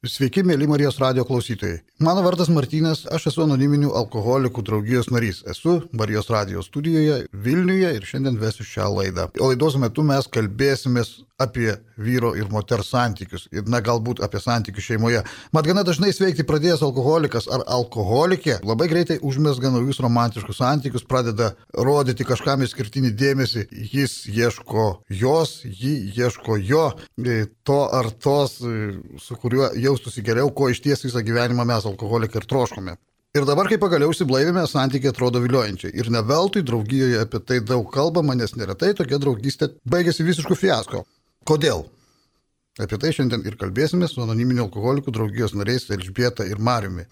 Sveiki, mėly Marijos radio klausytojai. Mano vardas Martynas, aš esu anoniminių alkoholikų draugijos narys. Esu Marijos radio studijoje Vilniuje ir šiandien vesiu šią laidą. O laidos metu mes kalbėsimės apie vyro ir moters santykius ir galbūt apie santykius šeimoje. Mat gana dažnai sveikti pradėjęs alkoholikas ar alkoholikė labai greitai užmezga naujus romantiškus santykius, pradeda rodyti kažkam išskirtinį dėmesį. Jis ieško jos, ji ieško jo, to ar tos, su kuriuo jaustųsi geriau, ko iš ties visą gyvenimą mes alkoholikai ir troškome. Ir dabar, kai pagaliau išsiblaivėme, santykiai atrodo viliojančiai. Ir ne veltui draugijoje apie tai daug kalbama, nes neretai tokia draugystė baigėsi visišku fiasko. Kodėl? Apie tai šiandien ir kalbėsime su anoniminių alkoholikų draugijos nariais Elžbieta ir Mariumi.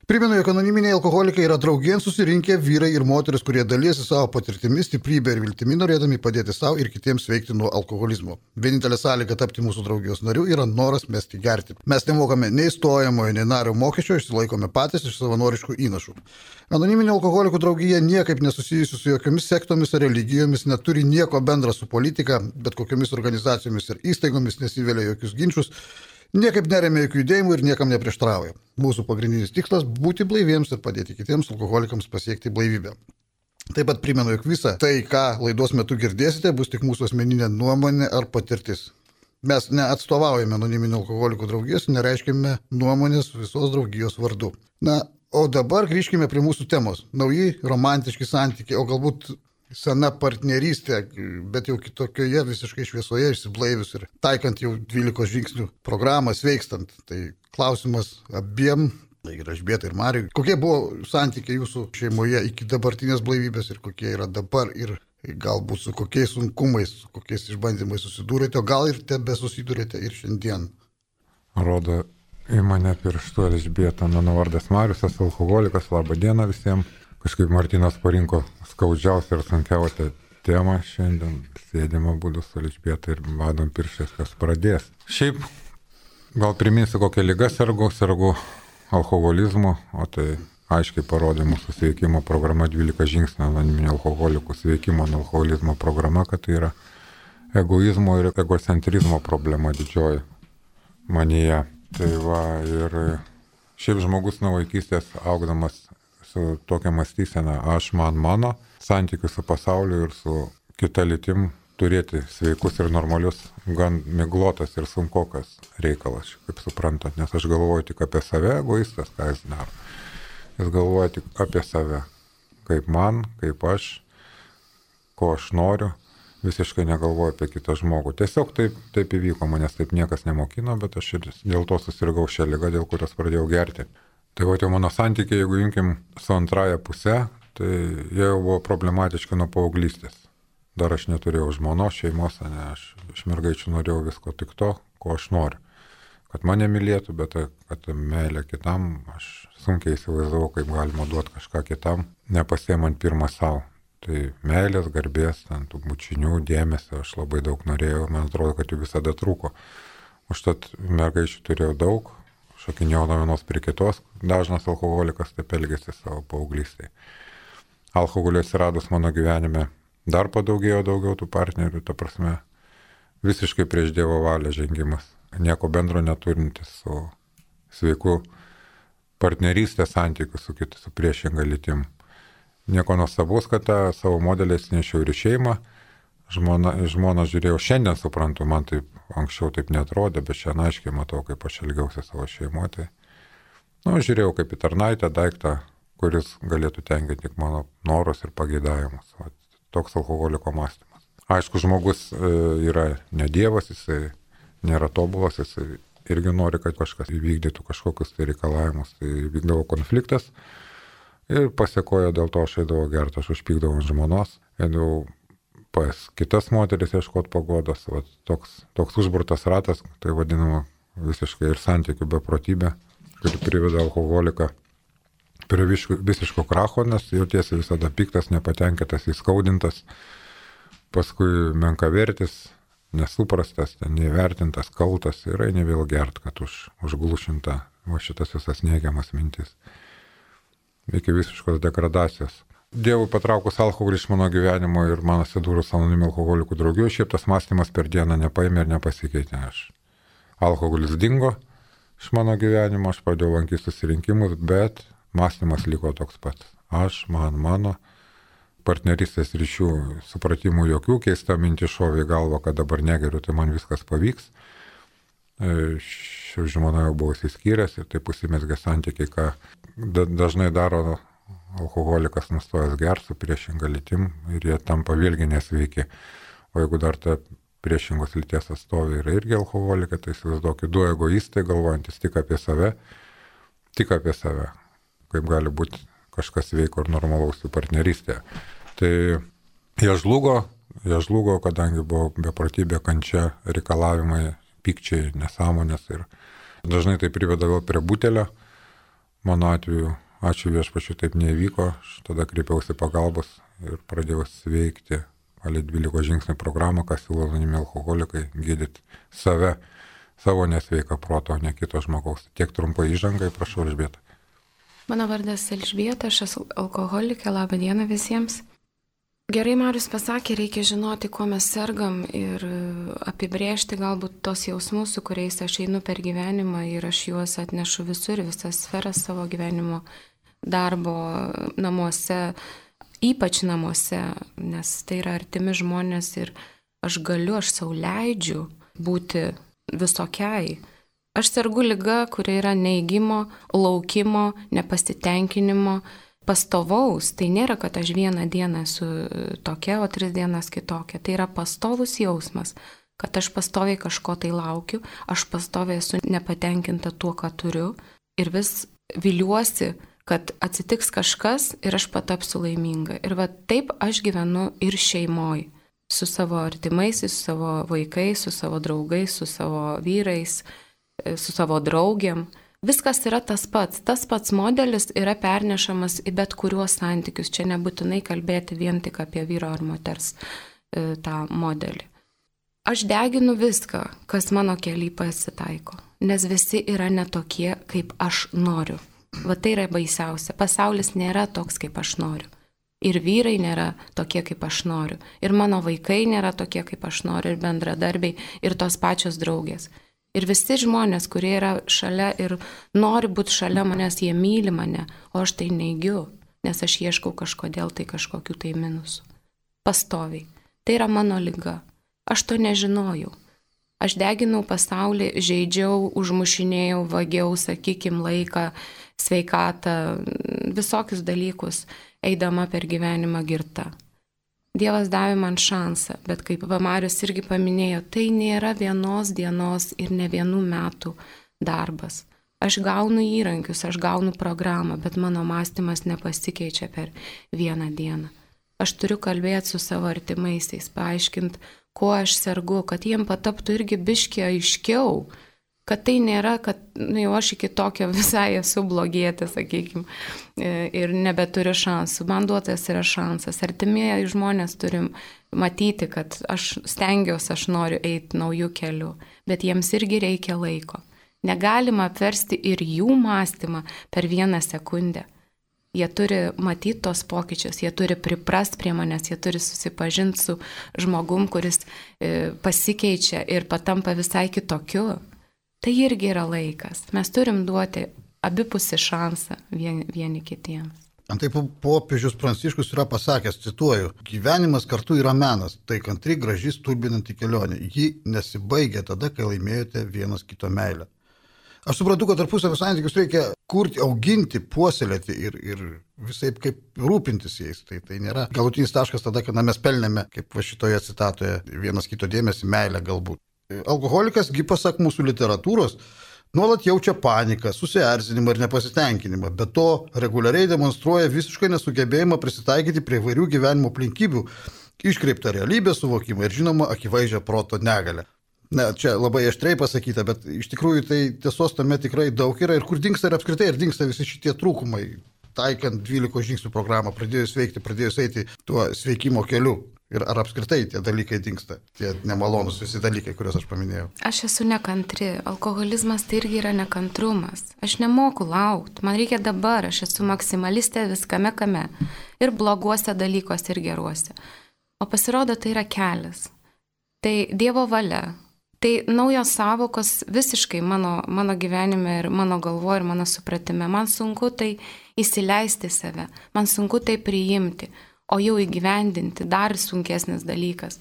Primenu, jog anoniminiai alkoholikai yra draugien susirinkę vyrai ir moteris, kurie dalyjasi savo patirtimi, stiprybę ir viltimi, norėdami padėti savo ir kitiems sveikti nuo alkoholizmo. Vienintelė sąlyga tapti mūsų draugijos nariu yra noras mesti gerti. Mes nemokame nei stojamojo, nei nario mokesčio, išsilaikome patys iš savanoriškų įnašų. Anoniminių alkoholikų draugija niekaip nesusijusi su jokiomis sektomis ar religijomis, neturi nieko bendra su politika, bet kokiomis organizacijomis ir įstaigomis, nesivelia jokius ginčius. Niekaip neremia jokių judėjimų ir niekam neprieštrauja. Mūsų pagrindinis tikslas – būti blaiviems ir padėti kitiems alkoholikams pasiekti blaivybę. Taip pat primenu, jog visa tai, ką laidos metu girdėsite, bus tik mūsų asmeninė nuomonė ar patirtis. Mes neatstovaujame anoniminių alkoholikų draugijos, nereiškime nuomonės visos draugijos vardu. O dabar grįžkime prie mūsų temos. Nauji romantiški santykiai, o galbūt sena partnerystė, bet jau kitokioje visiškai šviesoje išsiblaivius ir taikant jau 12 žingsnių programą sveikstant. Tai klausimas abiem, ir Elžbietai ir Mariui, kokie buvo santykiai jūsų šeimoje iki dabartinės blaivybės ir kokie yra dabar ir galbūt su kokiais sunkumais, su kokiais išbandymais susidūrėte, o gal ir tebe susidūrėte ir šiandien. Rodo į mane pirštu Elžbieta, mano vardas Marius, esu alkoholikas, labą dieną visiems. Kažkaip Martynas parinko skaudžiausią ir sunkiausią temą šiandien. Sėdimo būdu su Elžbieta ir vadom pirštais, kas pradės. Šiaip gal priminsiu, kokią ligą sergu alkoholizmu, o tai aiškiai parodė mūsų sveikimo programa 12 žingsnių anoniminių alkoholikų sveikimo nuo alkoholizmo programa, kad tai yra egoizmo ir egocentrizmo problema didžioji manyje. Tai va, ir šiaip žmogus nuo vaikystės augdamas su tokia mąstysena, aš mano, santykių su pasauliu ir su kita lytim turėti sveikus ir normalius, gan miglotas ir sunkokas reikalas, kaip suprantat, nes aš galvoju tik apie save, egoistas, ką jis daro. Jis galvoja tik apie save, kaip man, kaip aš, ko aš noriu, visiškai negalvoju apie kitą žmogų. Tiesiog taip įvyko, manęs taip niekas nemokino, bet aš ir dėl to susirgau šią ligą, dėl kurios pradėjau gerti. Tai va, jau mano santykiai, jeigu imkim su antraja puse, tai jie jau buvo problematiški nuo paauglystės. Dar aš neturėjau žmonos, šeimos, aš iš mergaičių norėjau visko tik to, ko aš noriu. Kad mane mylėtų, bet kad meilė kitam, aš sunkiai įsivaizdavau, kaip galima duoti kažką kitam, nepasiemant pirmą savo. Tai meilės, garbės, tų bučinių, dėmesio, aš labai daug norėjau, man atrodo, kad jų visada trūko. Užtat mergaičių turėjau daug. Šokinėjau nuo vienos prie kitos, dažnas alkoholikas taip elgėsi savo paauglystėje. Alkoholio atsiradus mano gyvenime dar padaugėjo daugiau tų partnerių, ta prasme, visiškai prieš Dievo valią žengimas. Nieko bendro neturintis su sveiku partnerystės santykiu su priešinga lytim. Nieko nuostabaus, kad tą savo modelį atsinešiau ir į šeimą. Žmoną žiūrėjau, šiandien suprantu, man taip anksčiau taip netrodė, bet šiandien aiškiai matau, kaip aš elgiausi savo šeimoje. Žiūrėjau kaip į tarnaitę daiktą, kuris galėtų tenkinti tik mano norus ir pageidavimus. Toks alkoholiko mąstymas. Aišku, žmogus yra ne dievas, jisai nėra tobulas, jisai irgi nori, kad kažkas įvykdytų kažkokius tai reikalavimus. Tai vykdavo konfliktas ir pasiekojo dėl to aš eidavau gerti, aš užpykdavau ant žmonos, eidavau pas kitas moteris ieškoti paguodos, toks užburtas ratas, tai vadinama visiškai ir santykių beprotybė, kuri priveda alkoholiką prie visiško kracho, nes jautiesi visada piktas, nepatenkintas, įskaudintas, paskui menkavertis, nesuprastas, neįvertintas, kaltas ir eini vėl gert, kad užglušinta šitas visas neigiamas mintis. Iki visiškos degradacijos. Dievui patraukus alkoholį iš mano gyvenimo ir man atsidūrus anoniminių alkoholikų draugijų, šiaip tas mąstymas per dieną nepaėmė ir nepasikeitė. Alkoholis dingo, iš mano gyvenimo, aš pradėjau lankyti susirinkimus, bet mąstymas liko toks pats. Aš, mano, partnerystės ryšių supratimų jokių, keista mintis šovė į galvą, kad dabar negeriu, tai man viskas pavyks. Ši žmona jau buvo įsiskyręs ir taip užsimezgė santykiai, ką dažnai daro alkoholikas nustojęs gerti su priešinga lytim ir jie tampa vėlgi nesveiki. O jeigu dar ta priešingos lyties atstovė yra irgi alkoholikai, tai įsivaizduokit, du egoistai galvojantis tik apie save, kaip gali būti kažkas sveiko ir normalaus jų partnerystėje. Tai jie žlugo, kadangi buvo beprotybė, kančia, reikalavimai, pykčiai, nesąmonės ir dažnai tai priveda vėl prie butelio. Mano atveju, ačiū viešpačiui, taip neįvyko, aš tada kreipiausi pagalbos ir pradėjau sveikti palei 12 žingsnių programą, ką siūlo anonimi alkoholikai, gydyti save, savo nesveiką protą, o ne kito žmogaus. Tiek trumpai įžangai, prašau, Elžbieta. Mano vardas Elžbieta, aš esu alkoholikė, labą dieną visiems. Gerai Marius pasakė, reikia žinoti, kuo mes sergam ir apibrėžti galbūt tos jausmus, su kuriais aš einu per gyvenimą ir aš juos atnešu visur, visas sferas savo gyvenimo, darbo, namuose, ypač namuose, nes tai yra artimi žmonės ir aš sau leidžiu būti visokiai. Aš sergu liga, kuri yra neigimo, laukimo, nepasitenkinimo, pastovaus. Tai nėra, kad aš vieną dieną esu tokia, o 3 dienas kitokia. Tai yra pastovus jausmas, kad aš pastoviai kažko tai laukiu, aš pastoviai esu nepatenkinta tuo, ką turiu ir vis viliuosi, kad atsitiks kažkas ir aš patapsiu laiminga. Ir va taip aš gyvenu ir šeimoj, su savo artimaisiais, su savo vaikais, su savo draugais, su savo vyrais, su savo draugiam. Viskas yra tas pats modelis yra pernešamas į bet kuriuos santykius. Čia nebūtinai kalbėti vien tik apie vyro ar moters tą modelį. Aš deginu viską, kas mano kely pasitaiko, nes visi yra netokie, kaip aš noriu. Va tai yra baisiausia. Pasaulis nėra toks, kaip aš noriu. Ir vyrai nėra tokie, kaip aš noriu. Ir mano vaikai nėra tokie, kaip aš noriu. Ir bendradarbiai, ir tos pačios draugės. Ir visi žmonės, kurie yra šalia ir nori būti šalia manęs, jie myli mane, o aš tai neigiu, nes aš ieškau kažkodėl tai kažkokių tai minusų. Pastoviai. Tai yra mano liga. Aš to nežinojau. Aš deginau pasaulį, žaidžiau, užmušinėjau, vagiau, sakykim, laiką, sveikatą, visokius dalykus, eidama per gyvenimą girta. Dievas davė man šansą, bet kaip Marius irgi paminėjo, tai nėra vienos dienos ir ne vienų metų darbas. Aš gaunu įrankius, aš gaunu programą, bet mano mąstymas nepasikeičia per vieną dieną. Aš turiu kalbėti su savo artimaisiais, paaiškinti, kuo aš sergu, kad jiem pataptų irgi biškį aiškiau, kad tai nėra, kad jau aš iki tokio visai esu blogietė, sakykime, ir nebeturiu šansų. Man duotas yra šansas. Artimieji žmonės turim matyti, kad aš stengiuosi, aš noriu eiti naujų kelių, bet jiems irgi reikia laiko. Negalima apversti ir jų mąstymą per 1 sekundę. Jie turi matyti tos pokyčius, jie turi priprast prie manęs, jie turi susipažinti su žmogum, kuris pasikeičia ir patampa visai kitokiu. Tai irgi yra laikas. Mes turim duoti abipusį šansą vieni kitiems. Antai popiežius Pranciškus yra pasakęs, cituoju, gyvenimas kartu yra menas, tai kantri, graži, stulbinanti kelionė. Ji nesibaigia tada, kai laimėjote vienas kito meilę. Aš suprantu, kad tarpusavio santykius reikia kurti, auginti, puoselėti ir visai kaip rūpintis jais. Tai nėra galutinis taškas tada, kada mes pelnėme, kaip va šitoje citatoje, vienas kito dėmesį, meilę galbūt. Alkoholikas, pasak mūsų literatūros, nuolat jaučia paniką, susierzinimą ir nepasitenkinimą, bet to reguliariai demonstruoja visiškai nesugebėjimą prisitaikyti prie įvairių gyvenimo aplinkybių, iškreiptą realybės suvokimą ir žinoma akivaizdžią proto negalę. Na, čia labai aštriai pasakyta, bet iš tikrųjų tai tiesos tame tikrai daug yra ir kur dingsta ir apskritai ir dingsta visi šitie trūkumai, taikant 12 žingsnių programą, pradėjus veikti, pradėjus eiti tuo sveikimo keliu. Ir ar apskritai tie dalykai dingsta, tie nemalonus visi dalykai, kuriuos aš paminėjau. Aš esu nekantri, alkoholizmas tai irgi yra nekantrumas. Aš nemoku laukti, man reikia dabar, aš esu maksimalistė viskame kame. Ir bloguose dalykuose, ir geruose. O pasirodo, tai yra kelias. Tai Dievo valia. Tai naujos savokos visiškai mano gyvenime ir mano galvoje ir mano supratime. Man sunku tai įsileisti save, man sunku tai priimti, o jau įgyvendinti dar sunkesnis dalykas.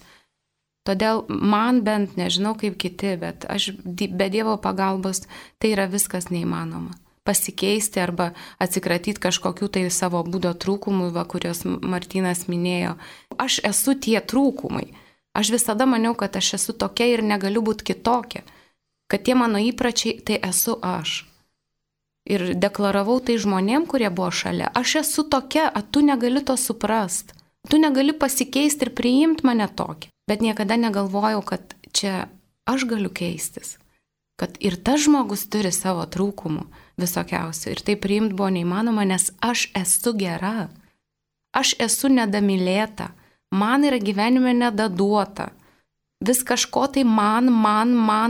Todėl man bent, nežinau kaip kiti, bet aš be Dievo pagalbos tai yra viskas neįmanoma. Pasikeisti arba atsikratyti kažkokių tai savo būdo trūkumų, kuriuos Martynas minėjo. Aš esu tie trūkumai. Aš visada maniau, kad aš esu tokia ir negaliu būti kitokia. Kad tie mano įpračiai, tai esu aš. Ir deklaravau tai žmonėm, kurie buvo šalia. Aš esu tokia, o tu negali to suprast. Tu negali pasikeisti ir priimti mane tokį. Bet niekada negalvojau, kad čia aš galiu keistis. Kad ir tas žmogus turi savo trūkumų visokiausių. Ir tai priimti buvo neįmanoma, nes aš esu gera. Aš esu nedamylėta. Man yra gyvenime nedaduota. Vis kažko tai man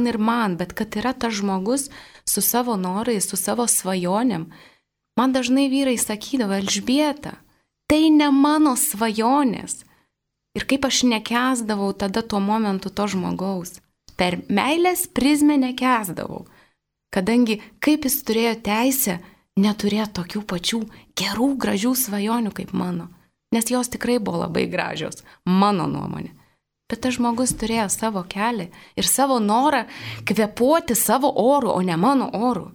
ir man. Bet kad yra tas žmogus su savo norais, su savo svajonėm. Man dažnai vyrai sakydavo, Elžbieta, tai ne mano svajonės. Ir kaip aš nekęsdavau tada tuo momentu to žmogaus. Per meilės prizmę nekęsdavau. Kadangi kaip jis turėjo teisę neturėti tokių pačių gerų, gražių svajonių kaip mano. Nes jos tikrai buvo labai gražios, mano nuomonė. Bet tas žmogus turėjo savo kelią ir savo norą kvėpuoti savo oru, o ne mano oru.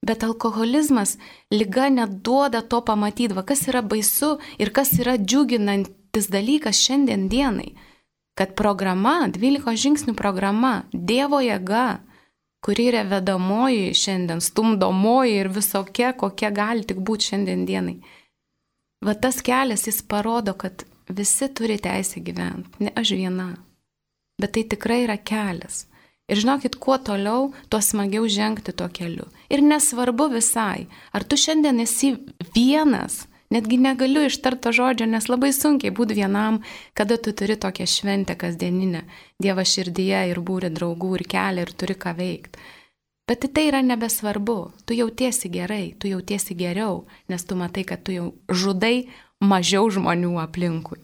Bet alkoholizmas, liga neduoda to pamatyti, kas yra baisu ir kas yra džiuginantis dalykas šiandien dienai. Kad programa, 12 žingsnių programa, Dievo jėga, kuri yra vedamoji šiandien, stumdomoji ir visokia, kokia gali tik būti šiandien dienai. Va tas kelias, jis parodo, kad visi turi teisę gyventi, ne aš viena. Bet tai tikrai yra kelias. Ir žinokit, kuo toliau, tuo smagiau žengti tuo keliu. Ir nesvarbu visai, ar tu šiandien esi vienas, netgi negaliu ištarto žodžio, nes labai sunkiai būti vienam, kada tu turi tokią šventę kasdieninę, Dievą širdyje ir būri draugų ir kelią ir turi ką veikti. Bet tai yra nebesvarbu, tu jautiesi gerai, tu jautiesi geriau, nes tu matai, kad tu jau žudai mažiau žmonių aplinkui.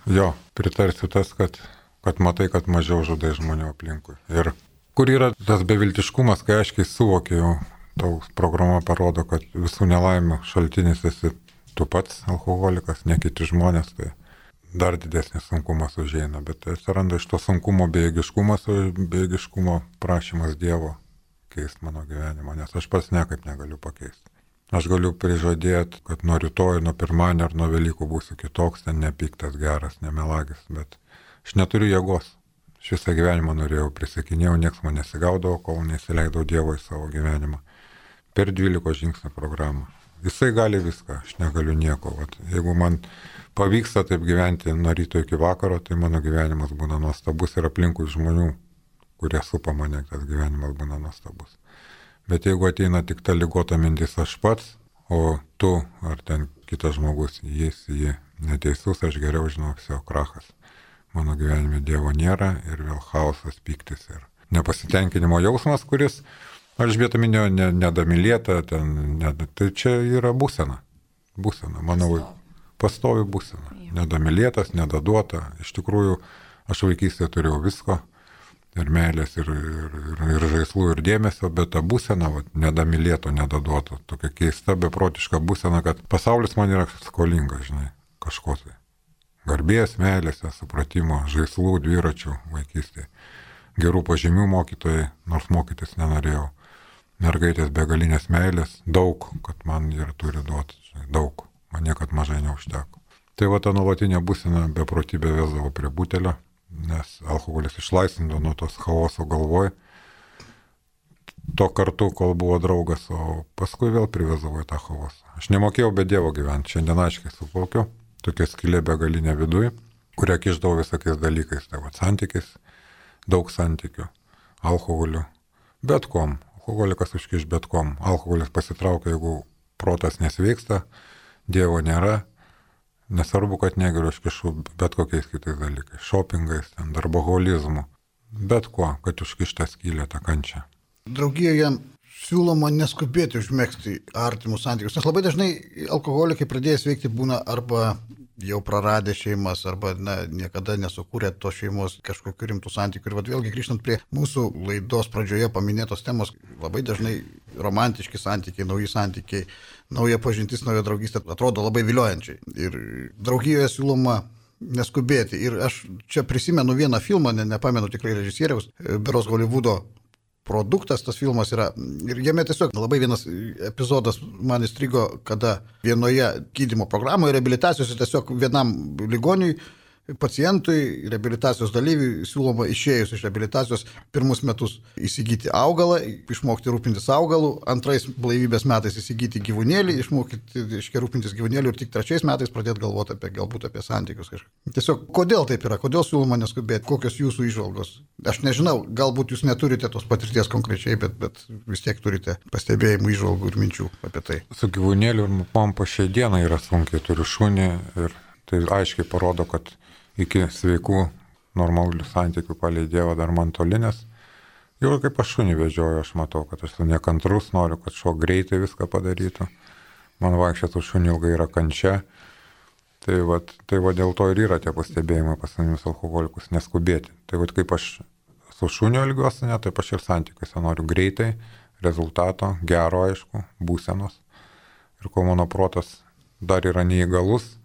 Jo, pritarsiu tas, kad matai, kad mažiau žudai žmonių aplinkui. Ir kur yra tas beviltiškumas, kai aiškiai suvokiau, tau programa parodo, kad visų nelaimių šaltinis esi tu pats alkoholikas, ne kiti žmonės, tai dar didesnis sunkumas užeina. Bet atsiranda iš to sunkumo bejėgiškumo prašymas Dievo keisti mano gyvenimą, nes aš pats niekaip negaliu pakeisti. Aš galiu prižadėti, kad nuo rytoj, nuo pirmadienio ar nuo Velykų būsiu kitoks, ten nepiktas, geras, nemelagis, bet aš neturiu jėgos. Aš visą gyvenimą norėjau, prisikinėjau, nieks man nesigaudavo, kol nesileidau Dievo į savo gyvenimą. Per 12 žingsnių programą. Jisai gali viską, aš negaliu nieko. Vat, jeigu man pavyksta taip gyventi nuo ryto iki vakaro, tai mano gyvenimas būna nuostabus ir aplinkui žmonių, kurie supa mane, tas gyvenimas būna nuostabus. Bet jeigu ateina tik ta ligota mintis aš pats, o tu ar ten kitas žmogus, jis neteisus, aš geriau žinau, viso krachas. Mano gyvenime Dievo nėra ir vėl chaosas, pyktis ir nepasitenkinimo jausmas, kuris, Elžbieta minėjo, nedamylėta, tai čia yra būsena. Būsena, manau, pastovi būsena. Nedamylėtas, nedaduota. Iš tikrųjų, aš vaikystėje turėjau visko. Ir meilės, ir žaislų, ir dėmesio, bet ta būsena, nedamylėto, nedaduoto, tokia keista, beprotiška būsena, kad pasaulis man yra skolingas, žinai, kažko tai. Garbės, meilės, supratimo, žaislų, dviračių vaikystėje. Gerų pažymių mokytojai, nors mokytis nenorėjau. Mergaitės begalinės meilės, daug, kad man ir turi duoti, žinai, daug, man niekad mažai neužteko. Tai va ta nuolatinė būsena beprotybė vesdavo prie butelio, nes alkoholis išlaisvindavo nuo tos chaoso galvoj. To kartu, kol buvo draugas, o paskui vėl privesdavo į tą chaosą. Aš nemokėjau be Dievo gyventi, šiandien aiškiai suvokiu, tokia skylė begalinė viduj, kurią kišdavo visokiais dalykais, tai va santykiais, daug santykių, alkoholiu, bet kom. Alkoholikas užkiš bet kom. Alkoholis pasitraukia, jeigu protas nesveiksta, Dievo nėra. Nesvarbu, kad negeriu, aš kišu bet kokiais kitais dalykais, šopingais, darboholizmu, bet kuo, kad užkišta skylė tą kančią. Draugijoje siūloma neskubėti užmėgsti artimus santykius, nes labai dažnai alkoholikai pradėjęs veikti būna arba jau praradę šeimas arba niekada nesukūrė tos šeimos kažkokių rimtų santykių. Ir vėlgi grįžtant prie mūsų laidos pradžioje paminėtos temos, labai dažnai romantiški santykiai, nauji santykiai, nauja pažintis, nauja draugystė atrodo labai viliojančiai. Ir draugijoje siūloma neskubėti. Ir aš čia prisimenu vieną filmą, nepamenu tikrai režisieriaus, beros Hollywoodo produktas, tas filmas yra, ir jame tiesiog labai vienas epizodas man įstrigo, kada vienoje gydymo programoje reabilitacijos tiesiog vienam ligoniui, pacientui, reabilitacijos dalyviui siūloma išėjus iš reabilitacijos pirmus metus įsigyti augalą, išmokti rūpintis augalų, antrais blaivybės metais įsigyti gyvūnėlį, išmokti rūpintis gyvūnėlį ir tik trečiais metais pradėti galvoti galbūt apie santykius kažką. Tiesiog, kodėl taip yra, kodėl siūloma neskubėti, kokios jūsų įžvalgos? Aš nežinau, galbūt jūs neturite tos patirties konkrečiai, bet vis tiek turite pastebėjimų, įžvalgų ir minčių apie tai. Su gyvūnėliu ir man po šiai dienai yra sunkiai, turiu šunį ir tai aiškiai parodo, kad iki sveikų normalių santykių palei Dievą dar man toli, nes jau kaip aš šunį vežioju, aš matau, kad aš nekantrus, noriu, kad šuo greitai viską padarytų. Man vaikščioti šunį ilgai yra kančia. Tai va dėl to ir yra tie pastebėjimai pas mumis alkoholikus, neskubėti. Tai va kaip aš su šuniu elgiuosi, taip aš ir santykiuose noriu greitai, rezultato, gero aišku, būsenos. Ir kol mano protas dar yra neįgalus,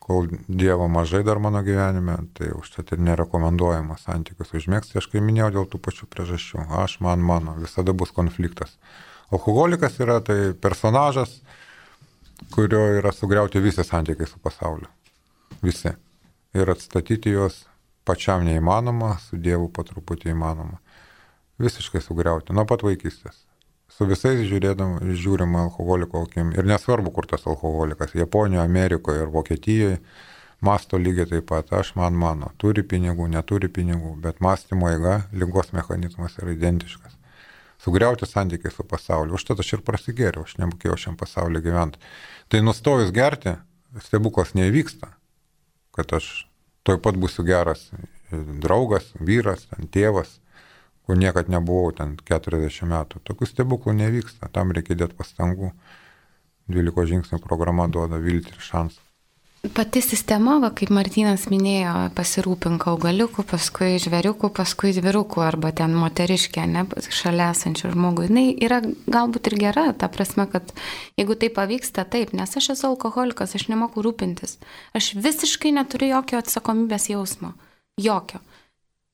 kol Dievo mažai dar mano gyvenime, tai užtat ir nerekomenduojama santykius užmėgsti, aš kai minėjau dėl tų pačių priežasčių. Aš, mano, visada bus konfliktas. Alkoholikas yra tai personažas, kurio yra sugriauti visi santykiai su pasauliu. Visi. Ir atstatyti juos pačiam neįmanoma, su Dievu po truputį įmanoma. Visiškai sugriauti, nuo pat vaikystės. Su visais žiūrima alkoholiko akim. Ir nesvarbu, kur tas alkoholikas. Japonijoje, Amerikoje ir Vokietijoje masto lygiai taip pat. Aš, mano. Turi pinigų, neturi pinigų. Bet mąstymo eiga, ligos mechanizmas yra identiškas. Sugriauti santykiai su pasauliu. Užtat aš ir prasigėriau. Aš nemokėjau šiam pasauliu gyventi. Tai nustojus gerti, stebuklas neįvyksta. Kad aš toj pat būsiu geras draugas, vyras, tėvas, kur niekad nebuvau ten 40 metų. Tokių stebuklų nevyksta, tam reikia dėti pastangų. 12 žingsnių programa duoda viltį ir šansą. Pati sistema, kaip Martynas minėjo, pasirūpink augaliukų, paskui žvėriukų, paskui dvirukų arba ten moteriškė, ne, šalia esančių žmogų. Jis yra galbūt ir gera, ta prasme, kad jeigu tai pavyksta, taip, nes aš esu alkoholikas, aš nemoku rūpintis. Aš visiškai neturiu jokio atsakomybės jausmo. Jokio.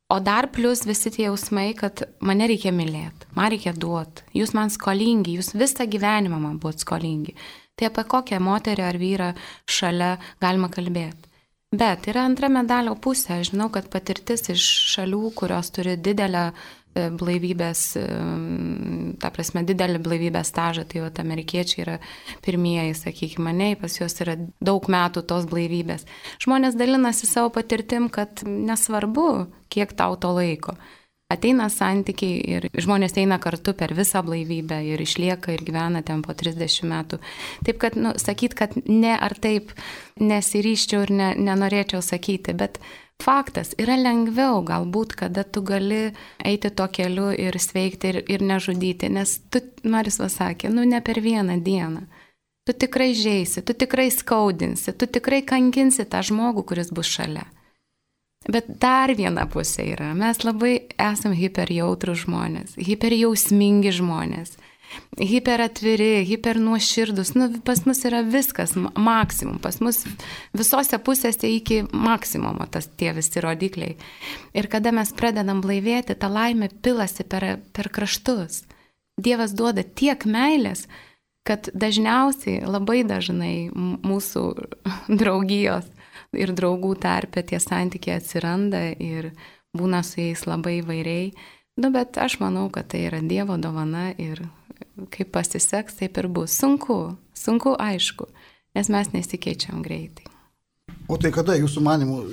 O dar plus visi tie jausmai, kad mane reikia mylėti, man reikia duoti, jūs man skolingi, jūs visą gyvenimą man buvot skolingi. Tai apie kokią moterį ar vyrą šalia galima kalbėti. Bet yra antra medalio pusė. Aš žinau, kad patirtis iš šalių, kurios turi didelę blaivybės, ta prasme, didelį blaivybės stažą, tai vat amerikiečiai yra pirmieji, sakykime, ne, pas juos yra daug metų tos blaivybės. Žmonės dalinasi savo patirtim, kad nesvarbu, kiek tau to laiko. Ateina santykiai ir žmonės eina kartu per visą blaivybę ir išlieka ir gyvena ten po 30 metų. Taip, kad, sakyt, kad ne ar taip nesiryščiau ir nenorėčiau sakyti, bet faktas, yra lengviau galbūt, kada tu gali eiti tuo keliu ir sveikti ir nežudyti, nes tu, Marius pasakė, ne per vieną dieną. Tu tikrai žeisi, tu tikrai skaudinsi, tu tikrai kankinsi tą žmogų, kuris bus šalia. Bet dar viena pusė yra, mes labai esam hiperjautrų žmonės, hiperjausmingi žmonės, hiperatviri, hipernuoširdus, pas mus yra viskas maksimum, pas mus visose pusėse iki maksimumo tie visi rodikliai. Ir kada mes pradedam blaivėti, ta laimė pilasi per kraštus. Dievas duoda tiek meilės, kad dažniausiai, labai dažnai mūsų draugijos ir draugų tarpe tie santykiai atsiranda ir būna su jais labai įvairiai. Bet aš manau, kad tai yra Dievo dovana ir kaip pasiseks, taip ir bus. Sunku aišku, nes mes nesikeičiam greitai. O tai kada jūsų manimų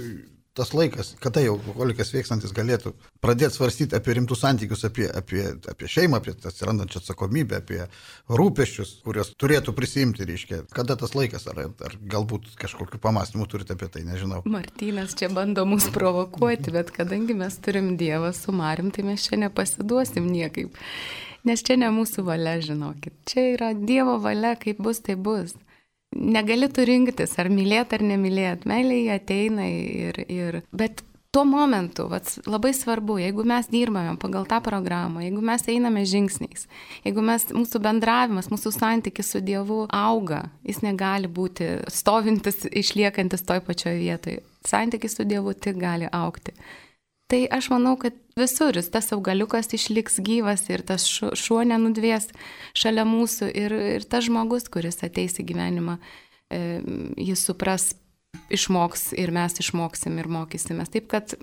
tas laikas, kada jau alkoholikas sveikstantis galėtų pradėti svarstyti apie rimtus santykius, apie šeimą, apie atsirandančią atsakomybę, apie rūpesčius, kurios turėtų prisimti, reiškia. Kada tas laikas, ar galbūt kažkokiu pamąstymu turite apie tai, nežinau. Martynas čia bando mus provokuoti, bet kadangi mes turim Dievą su Marium, tai mes čia nepasiduosim niekaip. Nes čia ne mūsų valia, žinokit. Čia yra Dievo valia, kaip bus, tai bus. negali tu rinktis, ar mylėti, ar nemylėti. Meilė jie ateina bet tuo momentu labai svarbu, jeigu mes dirbame pagal tą programą, jeigu mes einame žingsniais, jeigu mūsų bendravimas, mūsų santykis su Dievu auga, jis negali būti stovintis, išliekantis toj pačioje vietoje. Santykis su Dievu tik gali augti. Tai aš manau, kad visur tas augaliukas išliks gyvas ir tas šuo nenudvės šalia mūsų ir tas žmogus, kuris ateis į gyvenimą, jis supras, išmoks ir mes išmoksim ir mokysimės. Taip, kad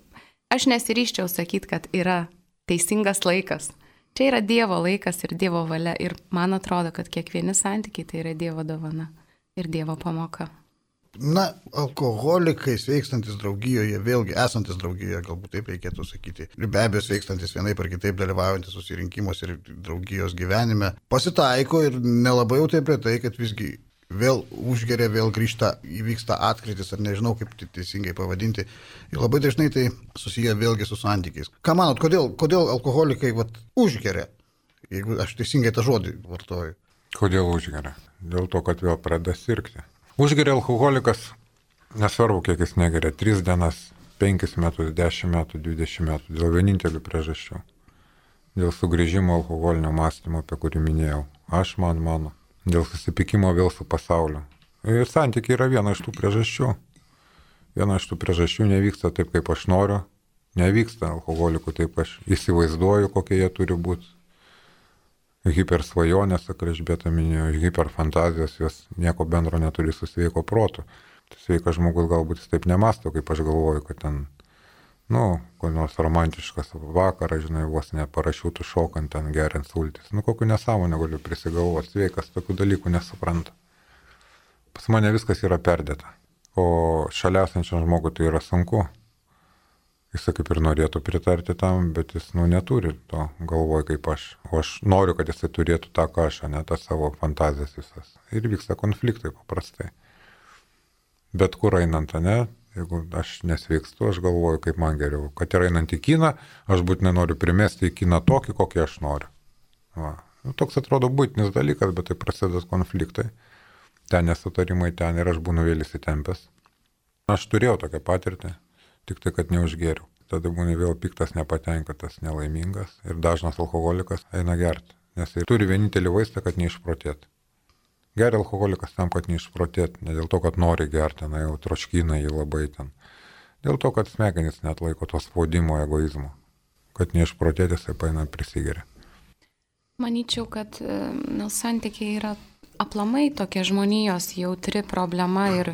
aš nesiryščiau sakyti, kad yra teisingas laikas. Čia yra Dievo laikas ir Dievo valia ir man atrodo, kad kiekvieni santykiai tai yra Dievo dovana ir Dievo pamoka. Na, alkoholikai sveikstantis draugijoje, vėlgi esantis draugijoje, galbūt taip reikėtų sakyti, ir be abejo sveikstantis vienaip ar kitaip dalyvaujantis susirinkimuose ir draugijos gyvenime, pasitaiko ir nelabai jau taip retai, kad visgi vėl užgeria, vėl grįžta, įvyksta atkritis, ar nežinau, kaip teisingai pavadinti. Ir labai dažnai tai susiję vėlgi su santykiais. Ką manot, kodėl alkoholikai užgeria, jeigu aš teisingai tą žodį vartoju? Kodėl užgeria? Dėl to, kad vėl pradeda sirgti. Užgeria alkoholikas, nesvarbu, kiek jis negeria, 3 dienas, 5 metus, 10 metų, 20 metų, dėl vienintelių priežasčių. Dėl sugrįžimo alkoholinio mąstymo, apie kurį minėjau. Aš, mano. Dėl susipykimo vėl su pasauliu. Ir santykiai yra viena iš tų priežasčių. Viena iš tų priežasčių nevyksta taip, kaip aš noriu. Nevyksta alkoholikų taip, aš įsivaizduoju, kokie jie turi būti. Hipersvajonės, kaip Elžbieta minėjo, hiperfantazijos, jos nieko bendro neturi su sveiko protu. Tai sveikas žmogus galbūt jis taip nemasto, kaip aš galvoju, kad ten, kur nors romantiškas vakaras, žinai, vos ne parašiutų šokant, ten geriant sultis. Kokiu nesąmonę galiu prisigalvoti, sveikas tokių dalykų nesupranta. Pas mane viskas yra perdėta, o šalia esančiam žmogui tai yra sunku. Jis kaip ir norėtų pritarti tam, bet jis neturi to galvoj kaip aš. O aš noriu, kad jisai turėtų tą, ką aš, ne tą savo fantazijas visas. Ir vyksta konfliktai paprastai. Bet kur einant, ne? Jeigu aš nesveikstu, aš galvoju, kaip man geriau. Kad ir einant į kiną, aš būtinai noriu primesti į kiną tokį, kokį aš noriu. Toks atrodo būtinis dalykas, bet tai prasideda konfliktai. Ten nesutarimai, ten ir aš būnu vėl įsitempęs. Aš turėjau tokią patirtį, tik tai, kad neužgėriau. Tada būnu vėl piktas, nepatenkintas, nelaimingas ir dažnas alkoholikas eina gerti, nes jis turi vienintelį vaistą, kad neišprotėti. Geria alkoholikas tam, kad neišprotėti, ne dėl to, kad nori gerti, jau troškina jį labai ten. Dėl to, kad smegenys net laiko to spaudimo, egoizmo. Kad neišprotėti, jisai paina prisigeria. Manyčiau, kad santykiai yra aplamai tokia žmonijos jautri problema ir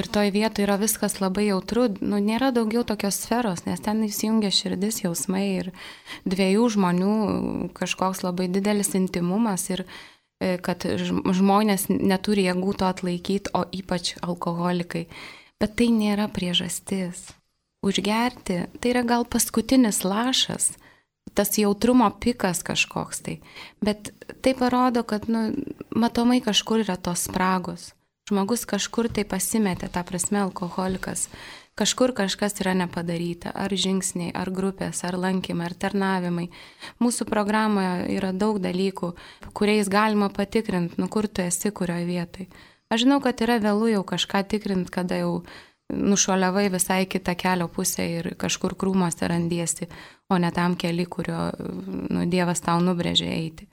toj vietoje yra viskas labai jautru. Nėra daugiau tokios sferos, nes ten įsijungia širdis, jausmai ir 2 žmonių kažkoks labai didelis intimumas ir kad žmonės neturi jėgų to atlaikyti, o ypač alkoholikai. Bet tai nėra priežastis. Užgerti tai yra gal paskutinis lašas, tas jautrumo pikas kažkoks tai. Bet tai parodo, kad matomai kažkur yra tos spragos. Žmogus kažkur tai pasimetė, ta prasme alkoholikas. Kažkur kažkas yra nepadaryta, ar žingsniai, ar grupės, ar lankymai, ar tarnavimai. Mūsų programoje yra daug dalykų, kuriais galima patikrinti, kur tu esi, kurioje vietoje. Aš žinau, kad yra vėlu jau kažką tikrinti, kada jau nušuoliavai visai kitą kelio pusę ir kažkur krūmuose randiesi, o ne tam keli, kurio Dievas tau nubrėžė eiti.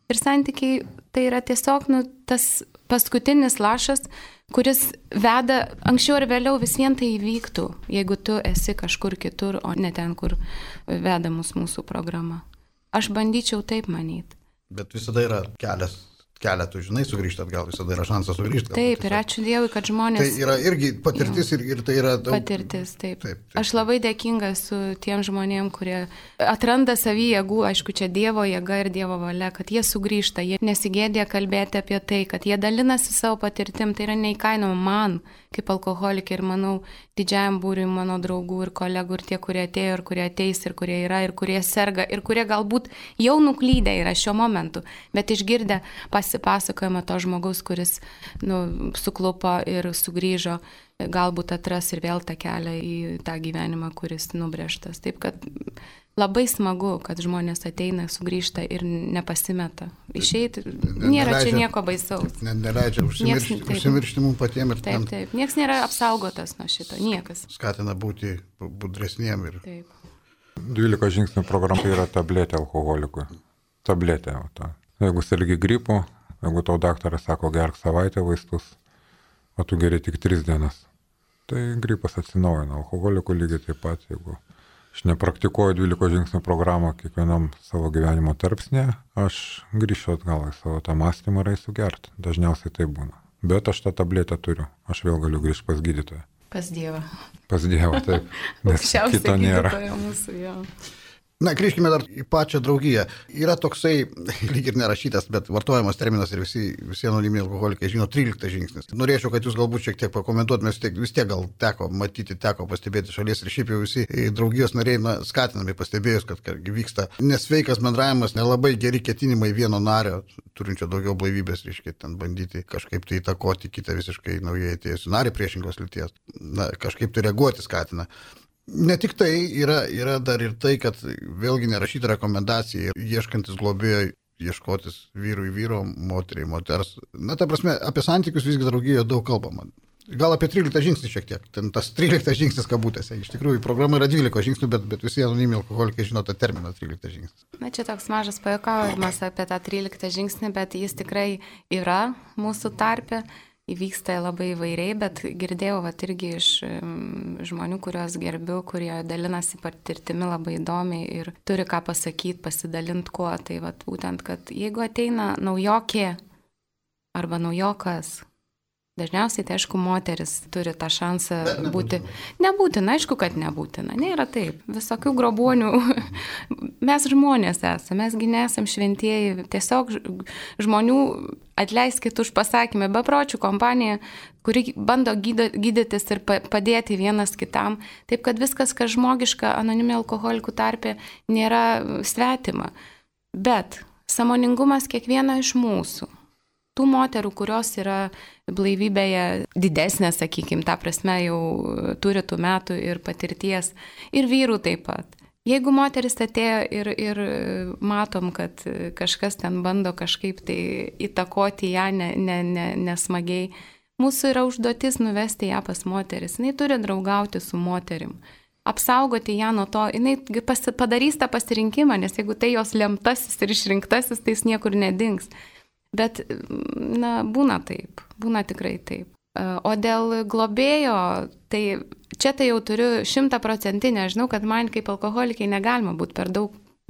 Ir santykiai tai yra tiesiog tas paskutinis lašas, kuris veda, anksčiau ar vėliau vis vien tai įvyktų, jeigu tu esi kažkur kitur, o ne ten, kur veda mūsų programa. Aš bandyčiau taip manyti. Bet visada yra keletų, žinai, sugrįžti atgal, visada yra šansas sugrįžti. Taip, ir ačiū Dievui, kad žmonės... Tai yra irgi patirtis ir tai yra daug... Patirtis, taip. Aš labai dėkinga su tiem žmonėm, kurie atranda savy jėgų, aišku, čia Dievo jėga ir Dievo valia, kad jie sugrįžta, jie nesigėdė kalbėti apie tai, kad jie dalinasi savo patirtim, tai yra neįkainoma man, kaip alkoholikė ir manau, didžiajam būriui mano draugų ir kolegų ir tie, kurie atėjo ir kurie ateis ir kurie yra ir kurie serga ir kurie galbūt jau nuklydę yra šiuo momentu, bet išgirdę pasipasakojimą to žmogaus, kuris suklupo ir sugrįžo, galbūt atras ir vėl tą kelią į tą gyvenimą, kuris nubrėžtas. Taip kad labai smagu, kad žmonės ateina, sugrįžta ir nepasimeta. Išeiti, nėra čia nieko baisaus. Neleidžia užsimiršti mums patiems. Taip. Niekas nėra apsaugotas nuo šito, niekas. Skatina būti budresniem ir... Taip. 12 žingsnių programa yra tabletė alkoholikui. Tabletė. Jeigu sergi gripu, jeigu tau daktaras sako gerk savaitę vaistus, o tu geri tik 3 dienas, tai gripas atsinaujina. Alkoholikų lygiai taip pat, jeigu aš nepraktikuoju 12 žingsnių programą kiekvienam savo gyvenimo tarpsnėje, aš grįšiu atgal į savo tą mąstymą ir eisiu gerti. Dažniausiai tai būna. Bet aš tą tabletę turiu. Aš vėl galiu grįžti pas gydytoją. Pas Dievą. Pas Dievą, taip. Nes kito nėra. Mūsų, jo. Na, grįžkime dar į pačią draugiją. Yra toksai, lyg ir nerašytas, bet vartojamas terminas ir visi anoniminiai alkoholikai žino 13 žingsnis. Norėčiau, kad jūs galbūt šiek tiek pakomentuotumės, vis tiek gal teko matyti, teko pastebėti šalies ir šiaip jau visi draugijos nariai skatinami pastebėjus, kad vyksta nesveikas bendravimas, nelabai geri ketinimai vieno nario, turinčio daugiau blaivybės, reiškia, ten bandyti kažkaip tai įtakoti kitą visiškai naujai atėjusių narį priešingos lyties. Na, kažkaip tai reaguoti skatina. Ne tik tai, yra dar ir tai, kad vėlgi nerašyta rekomendacija, ieškantis globėjo, ieškotis vyrui vyro, moteriai moters. Na, ta prasme, apie santykius visgi draugijoje daug kalbama. Gal apie 13 žingsnį šiek tiek, ten tas 13 žingsnis kabutėse. Iš tikrųjų, programa yra 12 žingsnių, bet visi anoniminiai alkoholikai žino tą terminą 13 žingsnis. Na, čia toks mažas pajuokavimas apie tą 13 žingsnį, bet jis tikrai yra mūsų tarpe. Įvyksta labai įvairiai, bet girdėjau irgi iš žmonių, kuriuos gerbiu, kurie dalinasi patirtimi labai įdomiai ir turi ką pasakyti, pasidalinti kuo. Tai būtent, kad jeigu ateina naujokė arba naujokas, dažniausiai tai aišku moteris turi tą šansą būti. Nebūtina, aišku, kad nebūtina. Nėra taip. Visokių grobuonių. Mes žmonės esame, mesgi nesam šventieji. Tiesiog žmonių atleiskit už pasakymą, bepročių kompanija, kuri bando gydytis ir padėti vienas kitam. Taip, kad viskas, kas žmogiška anoniminių alkoholikų tarpe, nėra svetima. Bet sąmoningumas kiekvieno iš mūsų. Tų moterų, kurios yra blaivybėje didesnė, sakykime, ta prasme jau turi tų metų ir patirties, ir vyrų taip pat. Jeigu moteris atėjo ir matom, kad kažkas ten bando kažkaip tai įtakoti ją nesmagiai, mūsų yra užduotis nuvesti ją pas moteris. Jis turi draugauti su moterim, apsaugoti ją nuo to, jis padarys tą pasirinkimą, nes jeigu tai jos lemtasis ir išrinktasis, tai jis niekur nedings. Bet, na, būna taip, būna tikrai taip. O dėl globėjo, tai čia tai jau turiu 100%, žinau, kad man kaip alkoholikai negalima būti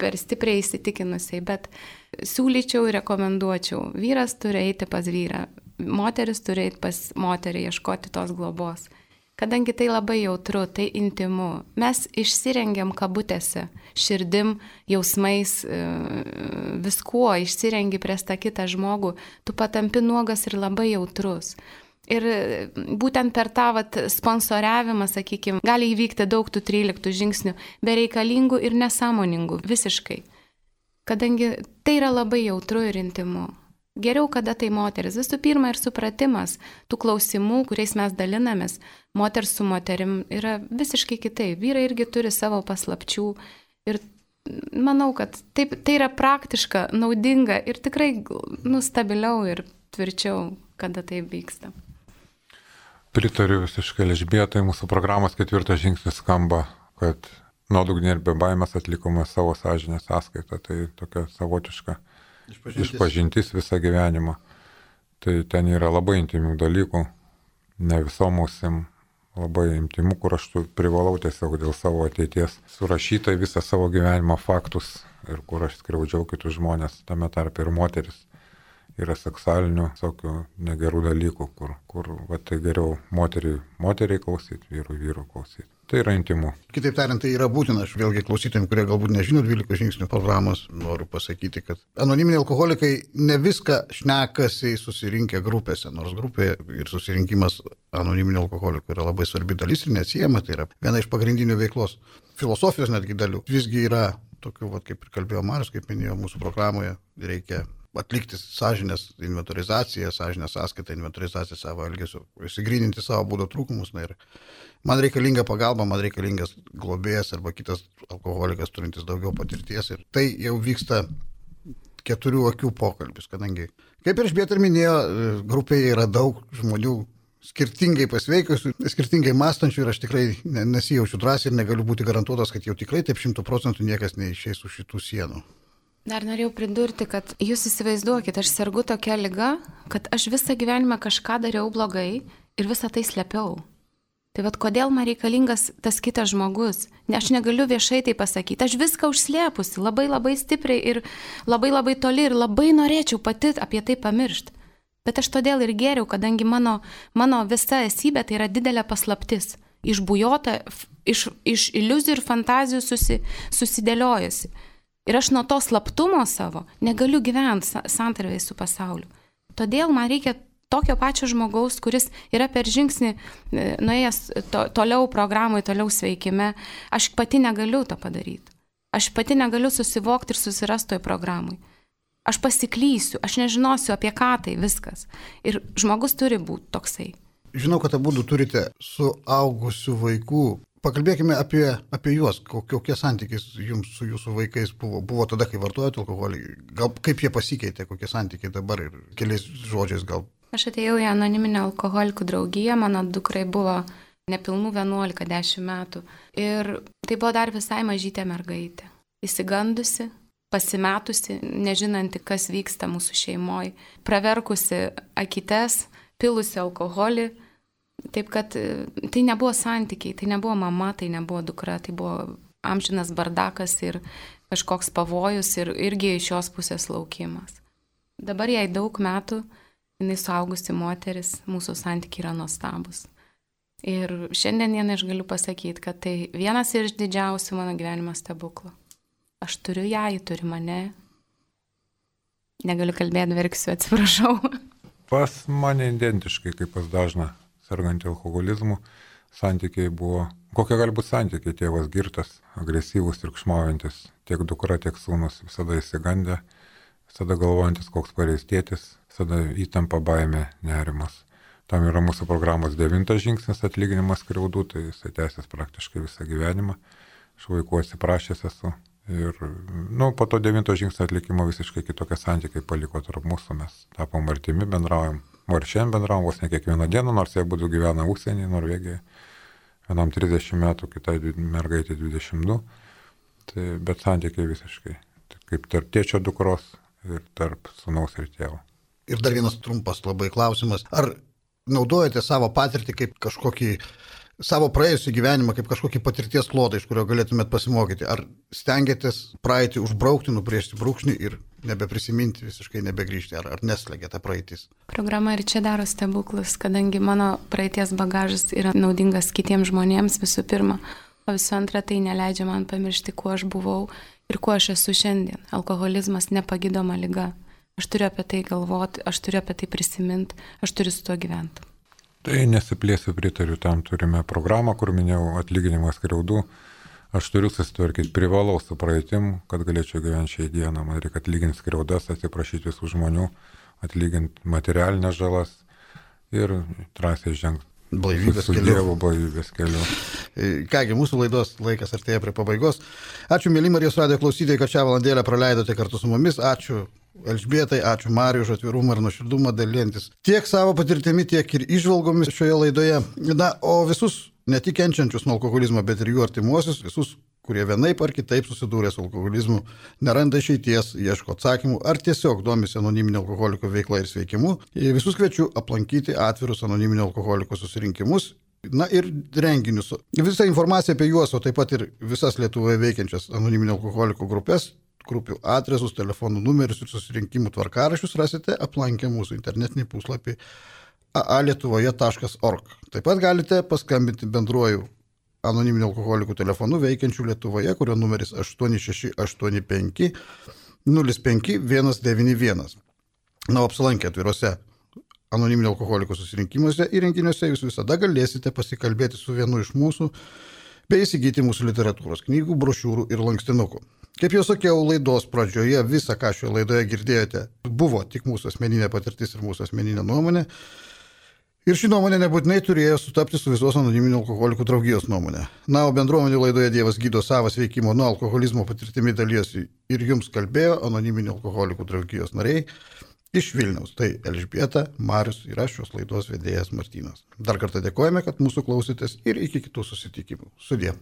per stipriai įsitikinusiai, bet siūlyčiau ir rekomenduočiau. Vyras turi eiti pas vyrą, moteris turi eiti pas moterį, ieškoti tos globos. Kadangi tai labai jautru, tai intimu, mes išsirengiam kabutėse, širdim, jausmais, viskuo, išsirengi prieš tą kitą žmogų, tu patampi nuogas ir labai jautrus. Ir būtent per tą sponsoriavimą, sakykime, gali įvykti daug tų 13 žingsnių, bereikalingų ir nesąmoningų, visiškai. Kadangi tai yra labai jautru ir intimu. Geriau, kada tai moteris. Visų pirma ir supratimas tų klausimų, kuriais mes dalinamės, moters su moterim, yra visiškai kitaip. Vyrai irgi turi savo paslapčių ir manau, kad taip, tai yra praktiška, naudinga ir tikrai stabiliau ir tvirčiau, kada tai vyksta. Pritariu visiškai Elžbietai, mūsų programos 4 žingsnis skamba, kad nuodugniai ir be baimės atlikome savo sąžinės sąskaitą. Tai tokia savotiška išpažintis visą gyvenimą. Tai ten yra labai intimių dalykų, ne visom ausim, labai intimų, kur aš privalau tiesiog dėl savo ateities surašytai visą savo gyvenimo faktus ir kur aš skriaudžiau kitus žmonės, tame tarpe ir moteris. Yra seksualinių, tokių negerų dalykų, kur tai geriau moteriai klausyti, vyrų klausyti. Tai yra intimu. Kitaip tariant, tai yra būtina. Aš vėlgi klausytojams, kurie galbūt nežino 12 žingsnių programos, noriu pasakyti, kad anoniminiai alkoholikai ne viską šnekasi susirinkę grupėse, nors grupė ir susirinkimas anoniminių alkoholikų yra labai svarbi dalis ir neatsiejama, tai yra viena iš pagrindinių veiklos, filosofijos netgi dalių. Visgi yra tokių, kaip ir kalbėjo Marius, kaip minėjo mūsų programoje, reikia atlikti sąžinės inventorizaciją, sąžinės sąskaitą, inventorizaciją savo elgesio, įsigryninti savo būdo trūkumus. Na, ir man reikalinga pagalba, man reikalingas globėjas arba kitas alkoholikas turintis daugiau patirties. Ir tai jau vyksta 4 akių pokalbis, kadangi, kaip ir Elžbieta minėjo, grupėje yra daug žmonių skirtingai pasveikusių, skirtingai mąstančių ir aš tikrai nesijaučiu drąsiai ir negaliu būti garantuotas, kad jau tikrai taip 100% niekas neišeis už šitų sienų. Dar norėjau pridurti, kad jūs įsivaizduokit, aš sergu tokia liga, kad aš visą gyvenimą kažką dariau blogai ir visą tai slėpiau. Tai vad kodėl man reikalingas tas kitas žmogus? Aš negaliu viešai tai pasakyti, aš viską užslėpusi, labai stipriai ir labai toli ir labai norėčiau pati apie tai pamiršti. Bet aš todėl ir geriau, kadangi mano visa esybė tai yra didelė paslaptis, išbujota, iš iliuzijų ir fantazijų susidėliojusi. Ir aš nuo to slaptumo savo negaliu gyventi santarvėje su pasauliu. Todėl man reikia tokio pačio žmogaus, kuris yra per žingsnį nuėjęs toliau programai, toliau sveikime. Aš pati negaliu to padaryti. Aš pati negaliu susivokti ir susirasti toj programai. Aš pasiklysiu, aš nežinosiu apie ką tai viskas. Ir žmogus turi būti toksai. Žinau, kad abudu turite suaugusių vaikų. Pakalbėkime apie juos. Kokie santykiai jums su jūsų vaikais buvo tada, kai vartojate alkoholį? Gal kaip jie pasikeitė, kokie santykiai dabar ir keliais žodžiais gal? Aš atėjau į anoniminę alkoholikų draugiją, mano dukrai buvo nepilnų 11-10 metų. Ir tai buvo dar visai mažytė mergaitė. Įsigandusi, pasimetusi, nežinanti, kas vyksta mūsų šeimoje, praverkusi akytes, pilusi alkoholį. Taip kad tai nebuvo santykiai, tai nebuvo mama, tai nebuvo dukra, tai buvo amžinas bardakas ir kažkoks pavojus ir irgi iš jos pusės laukimas. Dabar jai daug metų, jinai suaugusi moteris, mūsų santykiai yra nuostabus. Ir šiandien aš galiu pasakyti, kad tai vienas iš didžiausių mano gyvenimo stebuklų. Aš turiu ją, ji turi mane. Negaliu kalbėti, verksiu, atsiprašau. Pas mane identiškai, kaip pas dažną sergantį alkoholizmu, santykiai buvo, kokie gali būti santykiai, tėvas girtas, agresyvus, triukšmaujantis, tiek dukra, tiek sūnus, visada įsigandę, visada galvojantis, koks pareis tėtis, visada įtampa, baimė, nerimas. Tam yra mūsų programos 9 žingsnis atlyginimas skriaudų, tai jisai tęsės praktiškai visą gyvenimą. Aš vaikų atsiprašęs esu. Ir po to 9 žingsnio atlikimo visiškai kitokie santykiai paliko tarp mūsų, mes tapom artimi, bendraujam. Ir šiandien bendraujam vos ne kiekvieną dieną, nors jie būtų gyvena užsienyje, Norvegijoje. Vienam 30 metų, kitai mergaitė 22. Tai, bet santykiai visiškai. Tai kaip tarp tėčio dukros ir tarp sūnaus ir tėvo. Ir dar vienas trumpas labai klausimas. Ar naudojate savo patirtį kaip kažkokį savo praėjusį gyvenimą kaip kažkokį patirties klodą, iš kurio galėtumėt pasimokyti? Ar stengiatės praeitį užbraukti, nubrėžti brūkšnį ir nebeprisiminti, visiškai nebegrįžti? Ar neslegia ta praeitis? Programa ir čia daro stebuklus, kadangi mano praeities bagažas yra naudingas kitiems žmonėms visų pirma, o visų antra tai neleidžia man pamiršti, kuo aš buvau ir kuo aš esu šiandien. Alkoholizmas nepagydoma liga. Aš turiu apie tai galvoti, aš turiu apie tai prisiminti, aš turiu su tuo gyventi. Tai nesiplėsiu, pritariu, tam turime programą, kur minėjau atlyginimas skriaudų. Aš turiu susitvarkyti, privalau su praeitim, kad galėčiau gyventi šiai dieną. Man reikia atlyginti skriaudas, atsiprašyti visų žmonių, atlyginti materialinės žalas ir drąsiai žengti. Blaivybės keliu. Kągi, mūsų laidos laikas artėja prie pabaigos. Ačiū, mėly Marijos radijo klausytojai, kad šią valandėlę praleidote kartu su mumis. Ačiū Elžbietai, ačiū Mariui už atvirumą ir nuoširdumą dalintis tiek savo patirtimi, tiek ir įžvalgomis šioje laidoje. Na, o visus ne tik kenčiančius nuo alkoholizmo, bet ir jų artimuosius, visus, kurie vienaip ar kitaip susidūrė su alkoholizmu, neranda išeities, ieško atsakymų ar tiesiog domisi anoniminio alkoholiko veikla ir sveikimu, visus kviečiu aplankyti atvirus anoniminio alkoholiko susirinkimus. Na ir renginius. Visą informaciją apie juos, o taip pat ir visas Lietuvoje veikiančias anoniminio alkoholiko grupės, grupių adresus, telefonų numerius ir susirinkimų tvarkaraščius rasite aplankę mūsų internetinį puslapį aalietuvoje.org. Taip pat galite paskambinti bendruoju anoniminio alkoholikų telefonu veikiančių Lietuvoje, kurio numeris 8685 05 191. Na, apsilankę atviruose anoniminio alkoholikų susirinkimuose ir renginiuose jūs visada galėsite pasikalbėti su vienu iš mūsų bei įsigyti mūsų literatūros knygų, brošiūrų ir lankstinukų. Kaip jau sakiau, laidos pradžioje visa, ką šioje laidoje girdėjote, buvo tik mūsų asmeninė patirtis ir mūsų asmeninė nuomonė. Ir ši nuomonė nebūtinai turėjo sutapti su visos anoniminių alkoholikų draugijos nuomonė. Na, o bendruomenių laidoje Dievas gydo savas veikimo nuo alkoholizmo patirtimi dalyjosi ir jums kalbėjo anoniminių alkoholikų draugijos nariai iš Vilniaus. Tai Elžbieta, Marius ir aš šios laidos vedėjas Martynas. Dar kartą dėkojame, kad mūsų klausėtės ir iki kitų susitikimų. Sudie.